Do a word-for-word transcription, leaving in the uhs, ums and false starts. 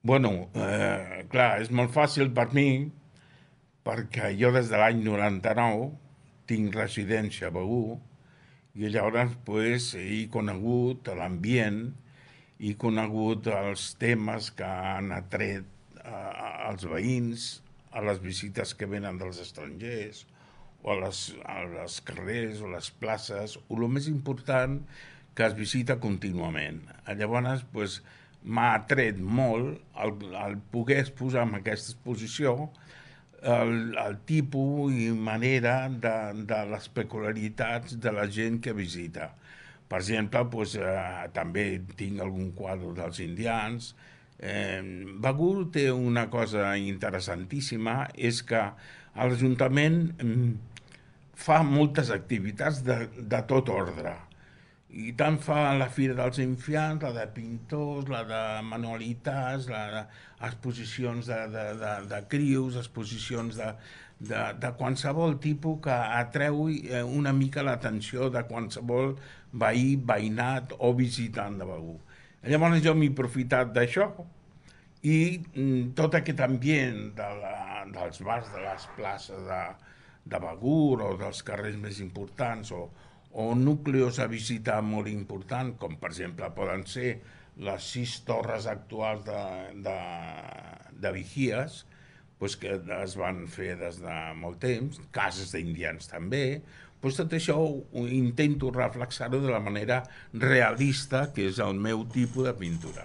Bueno, eh, clar, és molt fàcil per mi perquè jo des de l'any noranta-nou tinc residència a Begur i llavors pues, he conegut l'ambient, he conegut els temes que han atret eh, als veïns, a les visites que venen dels estrangers, o a les, a les carrers o les places, o el més important, que es visita contínuament. Llavors, pues, m'ha atret molt el, el poder exposar en aquesta exposició el, el tipus i manera de, de les peculiaritats de la gent que visita. Per exemple, pues, eh, també tinc algun quadre dels indians. Eh, Begur té una cosa interessantíssima, és que l'Ajuntament fa moltes activitats de, de tot ordre. I tant fa la Fira dels Infants, la de pintors, la de manualitats, la de exposicions de, de, de, de crios, exposicions de, de, de qualsevol tipus que atreu una mica l'atenció de qualsevol veí, veïnat o visitant de Begur. Llavors jo m'he aprofitat d'això i mm, tot aquest ambient de la, dels bars de les places de, de Begur o dels carrers més importants o, o núcleos a visitar molt important, com per exemple poden ser les sis torres actuals de, de, de vigies, pues, que es van fer des de molt temps, cases d'indians també, pues, tot això ho intento reflexar-ho de la manera realista, que és el meu tipus de pintura.